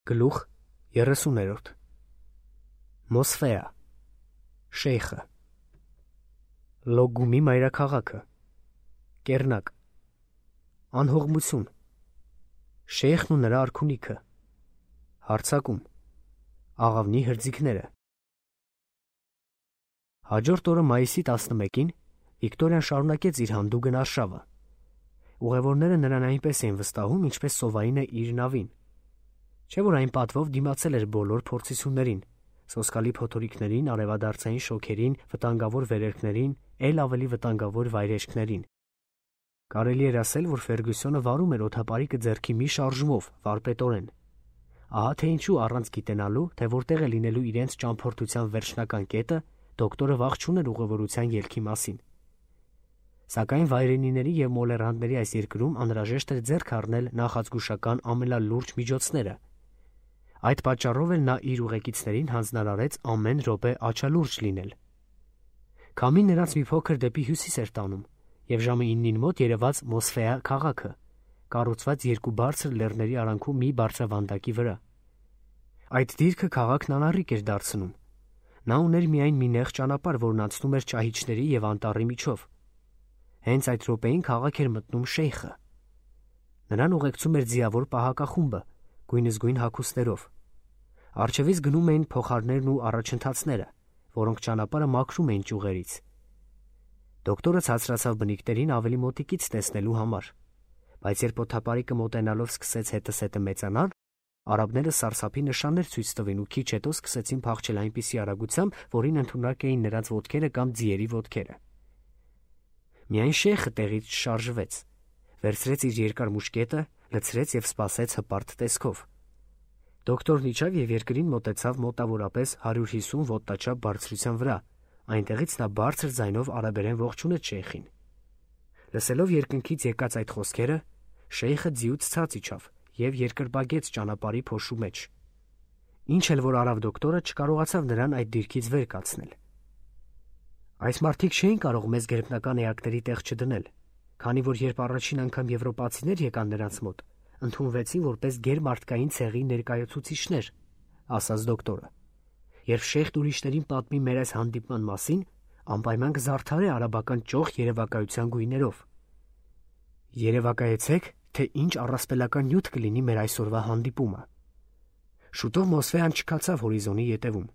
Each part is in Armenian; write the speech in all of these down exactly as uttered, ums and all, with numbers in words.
Գլուխ երեսուներորդ Մոսֆեա Շեյխը Լոգումի մայրաքաղաքը Կերնակ Անհողմություն Շեյխն ու նրա արքունիքը Հարձակում Աղավնի հրձիգները Հաջորդ օրը մայիսի տասնմեկին Վիկտորիան շարունակեց իր հանդուգն արշավը։ Ուղևորները նրան այնպես էին վստահում, ինչպես սովայինը իր նավին։ Չէ՞ որ այն պատվով դիմացել էր բոլոր փորձություններին, սոսկալի փոթորիկներին, արևադարձային շոքերին, վտանգավոր վերերքներին, ել ավելի վտանգավոր վայրեջքներին։ Կարելի էր ասել, որ Ֆերգյուսոնը վարում էր օդապարիկը ձեռքի մի շարժումով, վարպետորեն։ Ահա թե ինչու առանց գիտենալու, թե որտեղ է լինելու իրենց ճամփորդության վերջնական կետը, դոկտորը վախ չուներ ուղևորության ելքի մասին։ Սակայն վայրենիների և մոլեռանդների այս երկրում անհրաժեշտ էր ձեռք առնել նախազգուշական ամենալուրջ միջոցները։ Այդ պատճառով էլ նա իր ուղեկիցներին հանձնարարեց ամեն րոպե աչալուրջ լինել։ Քամին նրանց մի փոքր դեպի հյուսիս էր տանում, և ժամը իննին մոտ երևաց Մոսֆեա քաղաքը, կառուցված երկու բարձր լեռների արանքում մի բարձրավանդակի վրա։ Այդ դիրքը քաղաքն անառիկ էր դարձնում։ Նա ուներ միայն մի նեղ ճանապարհ, որն անցնում էր ճահիճների և անտառի միջով։ Հենց այդ րոպեին քաղաք էր մտնում Շեյխը։ Նրան ուղեկցում էր ձիավոր պահակախումբը, գույնզգույն հագուստներով։ Առջևից գնում էին փոխարներն ու առաջընթացները, որոնք ճանապարհը մաքրում էին ճյուղերից։ Դոկտորը ցածրացավ բնիկներին ավելի մոտիկից տեսնելու համար, բայց երբ օդապարիկը մոտենալով սկսեց հետզհետե մեծանալ, արաբները սարսափի նշաններ ցույց տվին ու քիչ հետո սկսեցին փախչել այնպիսի արագությամբ, որին ընդունակ էին նրանց ոտքերը կամ ձիերի ոտքերը։ Միայն Շեյխը տեղից չշարժվեց, վերցրեց իր երկար մուշկետը, լցրեց և սպասեց հպարտ տեսքով։ Դոկտորն իջավ և երկրին մոտեցավ մոտավորապես հարյուր հիսուն ոտնաչափ բարձրության վրա, այնտեղից նա բարձր ձայնով արաբերեն ողջունեց Շեյխին։ Լսելով երկնքից եկած այդ խոսքերը, Շեյխը ձիուց ցած իջավ և երկրպագեց ճանապարհի փոշու մեջ։ Ինչ էլ որ արավ դոկտորը, չկարողացավ նրան այդ դիրքից վեր կացնել։ Այս մարդիկ չէին կարող մեզ գերբնական էակների տեղ չդնել, քանի որ երբ առաջին անգամ եվրոպացիներ եկան նրանց մոտ, ընդունվեցին որպես գերմարդկային ցեղի ներկայացուցիչներ, ասաց դոկտորը։ Երբ Շեյխն ուրիշներին պատմի մեր այս հանդիպման մասին, անպայման կզարդարի արաբական ճոխ երևակայության գույներով։ Երևակայեցեք, թե ինչ առասպելական նյութ կլինի մեր այսօրվա հանդիպումը։ Շուտով Մոսֆեան չքացավ հորիզոնի ետևում։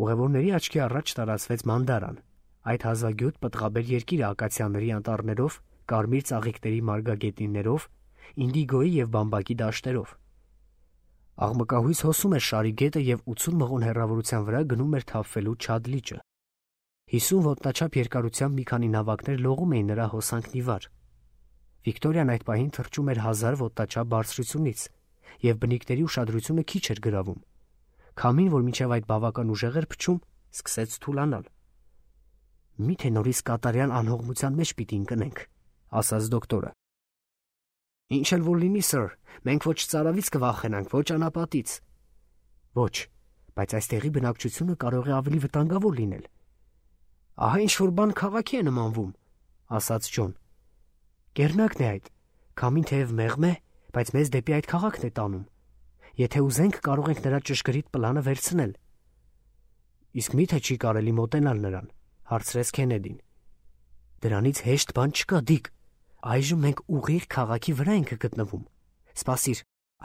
Ուղևորների աչքի առաջ տարածվեց Մանդարան, այդ հազվագյուտ պտղաբեր երկիրը ակացիաների անտառներով, կարմիր ծաղիկների մարգագետիններով, ինդիգոյի և բամբակի դաշտերով։ Աղմկահույս հոսում էր շարի գետը և ութսուն մղոն հեռավորության վրա գնում էր թափվելու Չադ լիճը։ Հիսուն ոտնաչափ երկարությամբ մի քանի նավակներ լողում էին նրա հոսանքն ի վար։ Վիկտորիան այդ պահին թռչում էր հազար ոտնաչափ բարձրությունից, և բնիկների ուշադրությունը քիչ էր գրավում։ Քամին, որ մինչև այդ բավական ուժեղ էր փչում, սկսեց թուլանալ։ Մի՞թե նորից կատարյալ անհողմության մեջ պիտի ընկնենք, ասաց դոկտորը։ Ինչ էլ որ լինի, սըր, մենք ոչ ծարավից կվախենանք, ոչ անապատից։ Ոչ, բայց այստեղի բնակչությունը կարող է ավելի վտանգավոր լինել։ Ահա ինչ-որ բան քաղաքի է նմանվում, ասաց Ջոն։ Կերնակն է այդ, քամին թեև մեղմ է, բայց մեզ դեպի այդ քաղաքն է տանում։ Եթե ուզենք, կարող ենք նրա ճշգրիտ պլանը վերցնել։ Իսկ մի՞թե չի կարելի մոտենալ նրան, հարցրեց Քենեդին։ Դրանից հեշտ բան չկա, Դիկ։ Այժմ մենք ուղիղ քաղաքի վրա ենք գտնվում։ Սպասիր,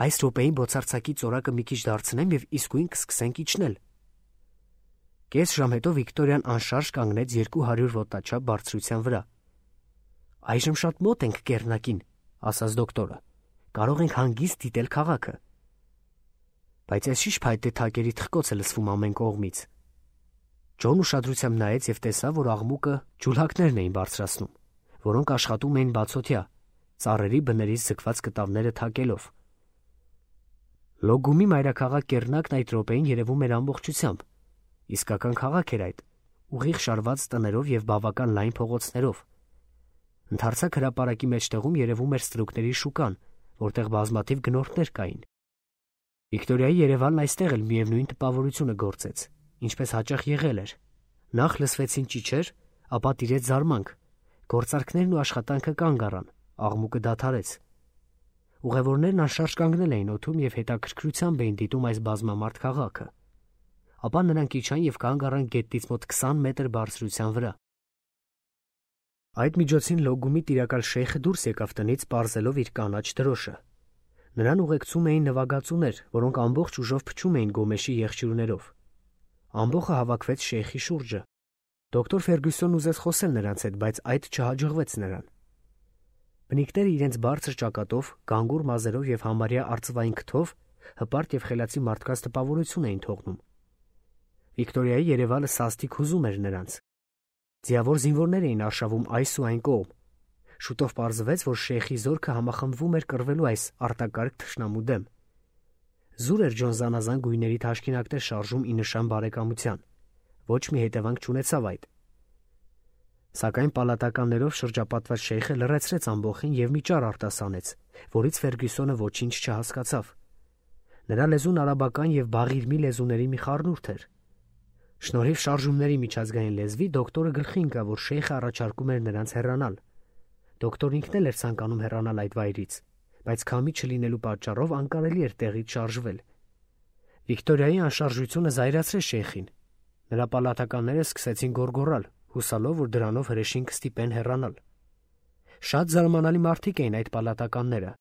այս րոպեին բոցարձակի ծորակը մի քիչ դարձնեմ և իսկույն կսկսենք իջնել։ Կես ժամ հետո Վիկտորիան անշարժ կանգնեց երկու հարյուր ոտնաչափ բարձրության վրա։ Այժմ շատ մոտ ենք կեռնակին, ասաց դոկտորը։ Կարող ենք հանգիստ դիտել քաղաքը։ Բայց այս ի՞նչ փայտե թակերի թխկոց է լսվում ամեն կողմից։ Ջոն ուշադրությամբ նայեց և տեսավ, որ աղմուկը ջուլհակներն էին բարձրացնում, որոնք աշխատում էին բացօթյա, ծառերի բներից ձգված կտավները թակելով։ Լոգումի մայրաքաղաք Կերնակն այդ րոպեին երևում էր ամբողջությամբ։ Իսկական քաղաք էր այդ, ուղիղ շարված տներով և բավական լայն փողոցներով։ Ընդարձակ հրապարակի մեջտեղում երևում էր ստրուկների շուկան, որտեղ բազմաթիվ գնորդներ կային։ Վիկտորիայի երևանն այստեղ էլ միևնույն տպավորությունը գործեց, ինչպես հաճախ եղել էր։ Նախ լսվեցին ճիչեր, ապա տիրեց զարմանք, գործարքներն ու աշխատանքը կանգ առան, աղմուկը դադարեց։ Ուղևորներն անշարժ կանգնել էին օդում և հետաքրքրությամբ էին դիտում այս բազմամարդ քաղաքը։ Ապա նրանք իջան և կանգ առան գետից մոտ քսան մետր բարձրության վրա։ Այդ միջոցին Լոգումի տիրակալ շեյխը դուրս եկավ տնից, պարզելով իր կանաչ դրոշը։ Նրան ուղեկցում էին նվագածուներ, որոնք ամբողջ ուժով փչում էին գոմեշի եղջյուրներով։ Ամբոխը հավաքվեց շեյխի շուրջը։ Դոկտոր Ֆերգյուսոնն ուզեց խոսել նրանց հետ, բայց այդ չհաջողվեց նրան։ Բնիկները իրենց բարձր ճակատով, գանգուր մազերով և համարյա արծվային քթով հպարտ և խելացի մարդկանց տպավորություն էին թողնում։ Վիկտորիայի երևալը սաստիկ հուզում էր նրանց։ Ձիավոր զինվորներ էին արշավում այս ու այն կողմ։ Շուտով պարզվեց, որ շեյխի զորքը համախմբվում էր կռվելու այս արտակարգ թշնամու դեմ։ Զուր էր Ջոն զանազան գույների թաշկինակներ շարժում ի նշան բարեկամության։ Ոչ մի հետևանք չունեցավ այդ։ Սակայն պալատականներով շրջապատված շեյխը լռեցրեց ամբոխին և մի ճառ արտասանեց, որից Ֆերգյուսոնը ոչինչ չհասկացավ։ Նրա լեզուն արաբական և բաղիրմի լեզուների մի խառնուրդ էր։ Շնորհիվ շարժումների միջազգային լեզվի դոկտորը գլխի ընկավ, որ շեյխը առաջարկում էր նրանց հեռանալ։ Դոկտորն ինքն էլ էր ցանկանում հեռանալ այդ վայրից, բայց քամի չլինելու պատճառով անկարելի էր տեղից շարժվել։ Վիկտորիայի անշարժությունը զայրացրեց շեյխին։ Նրա պալատականները սկսեցին գոռգոռալ, հուսալով, որ դրանով հրեշին կստիպեն հեռանալ։ Շատ զարմանալի մարդիկ էին այդ պալատականները։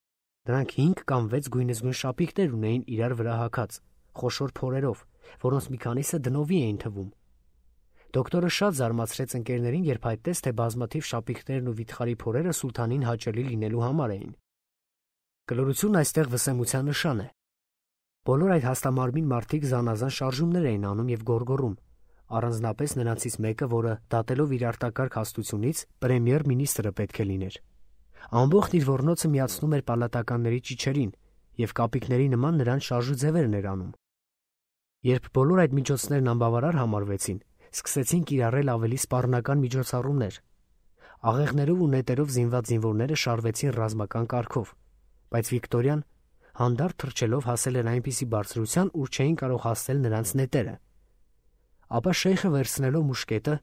Նրանք հինգ կամ վեց գույնզգույն շապիկներ ունեին իրար վրա հագած, խոշոր փորերով, որոնց մի քանիսը դնովի էին թվում։ Դոկտորը շատ զարմացրեց ընկերներին, երբ հայտնեց, թե բազմաթիվ շապիկներն ու վիթխարի փորերը սուլթանին հաճելի լինելու համար էին։ Կլորությունն այստեղ վսեմության նշան է։ Բոլոր այդ հաստամարմին մարդիկ զանազան շարժումներ էին անում և գոռգոռում, առանձնապես նրանցից մեկը, որը դատելով իր արտակարգ հաստությունից պրեմիեր մինիստրը պետք է լիներ։ Ամբողջ իր ոռնոցը միացնում էր պալատականների ճիչերին և կապիկների նման նրան շարժուձևերն էր անում։ Երբ բոլոր այդ միջոցներն անբավարար համարվեցին, սկսեցին կիրառել ավելի սպառնական միջոցառումներ։ Աղեղներով ու նետերով զինված զինվորները շարվեցին ռազմական կարգով, բայց Վիկտորիան հանդարտ թռչելով հասել էր այնպիսի բարձրության, ուր չէին կարող հասնել նրանց նետերը։ Ապա շեյխը վերցնելով մուշկետը,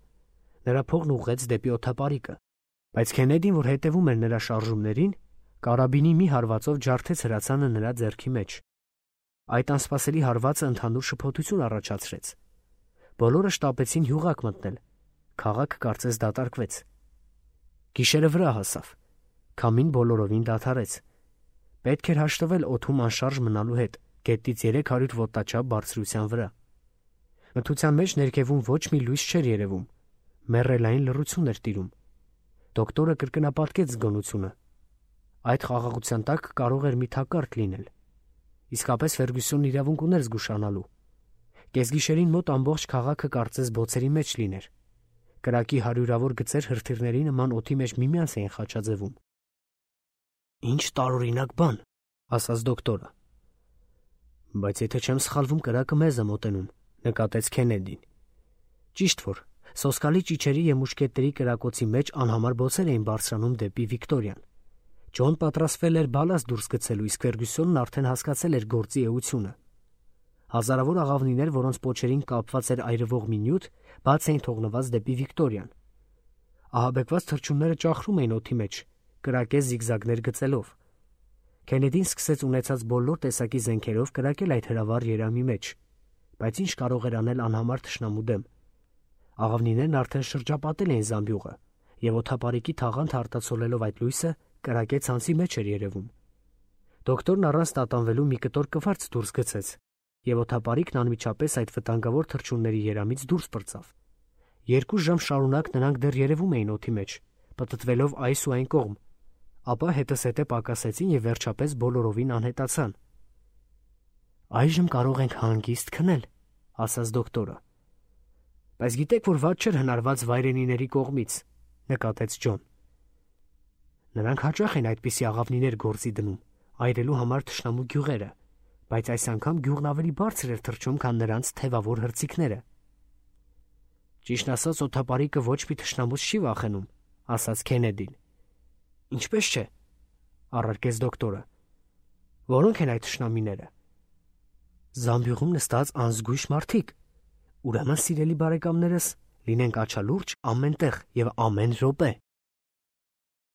նրա փողն ուղղեց դեպի օդապարիկը, բայց Քենեդին, որ հետևում էր նրա շարժումներին, կարաբինի մի հարվածով ջարդեց հրացանը նրա ձեռքի մեջ։ Այդ անսպասելի հարվածը ընդհանուր շփոթություն առաջացրեց։ Բոլորը շտապեցին յուղակ մտնել։ Քաղաքը կարծես դատարկվեց։ Գիշերը վրա հասավ։ Քամին բոլորովին դադարեց։ Պետք էր հաշտվել օդում անշարժ մնալու հետ, գետից երեք հարյուր ոտնաչափ բարձրության վրա։ Մթության մեջ ներքևում ոչ մի լույս չէր երևում։ Մեռելային լռություն էր տիրում։ Դոկտորը կրկնապատկեց զգոնությունը։ Այդ խաղաղության տակ կարող էր մի թակարդ լինել։ Իսկապես Ֆերգյուսոնն իրավունք ուներ զգուշանալու։ Կեսգիշերին մոտ ամբողջ քաղաքը կարծես բոցերի մեջ լիներ։ Կրակի հարյուրավոր գծեր հրթիռների նման օդի մեջ միմյանց էին խաչաձևում։ «Ինչ տարօրինակ բան», ասաց դոկտորը։ «Բայց եթե չեմ սխալվում, կրակը մեզ է մոտենում», նկատեց Քենեդին։ Ճիշտ որ սոսկալի ճիչերի և մուշկետների կրակոցի մեջ անհամար բոցեր էին բարձրանում դեպի Վիկտորիան։ Ջոն պատրաստվել էր բալաստ դուրս գցելու, իսկ Ֆերգյուսոնն արդեն հասկացել էր գործի էությունը։ Հազարավոր աղավնիներ, որոնց պոչերին կապված էր այրվող մի նյութ, բաց էին թողնված դեպի Վիկտորիան։ Ահաբեկված թռչունները ճախրում էին օդի մեջ, կրակեց զիգզագներ գծելով։ Քենեդին սկսեց ունեցած բոլոր տեսակի զենքերով կրակել այդ հրավառ երամի մեջ, բայց ինչ կարող էր անել անհամար թշնամու դեմ։ Աղավնիներն արդեն շրջապատել էին զամբյուղը, և օդապարիկի թաղանթ արտացոլելով այդ լույսը, կրակե ցանցի մեջ էր երևում։ Դոկտորն առանց տատանվելու մի կտոր կվարց դուրս գցեց, և օդապարիկն անմիջապես այդ վտանգավոր թռչունների երամից դուրս պրծավ։ Երկու ժամ շարունակ նրանք դեռ երևում էին օդի մեջ, պտտվելով այս ու այն կողմ, ապա հետզհետե պակասեցին և վերջապես բոլորովին անհետացան։ «Այժմ կարող ենք հանգիստ քնել», ասաց դոկտորը։ «Բայց գիտեք, որ վատ չէր հնարված վայրենիների կողմից», նկատեց Ջոն։ «Նրանք հաճախ են այդպիսի աղավնիներ գործի դնում, այրելու համար թշնամու գյուղերը, բայց այս անգամ գյուղն ավելի բարձր էր թռչում, քան նրանց թևավոր հրցիքները»։ «Ճիշտն ասած, օդապարիկը ոչ մի թշնամուց չի վախենում», ասաց Քենեդին։ «Ինչպես չէ», առարկեց դոկտորը։ «Որո՞նք են այդ թշնամիները»։ «Զամբյուղում նստած անզգույշ մարդիկ։ Ուրեմն, սիրելի բարեկամներս, լինենք աչալուրջ ամեն տեղ և ամեն րոպե»։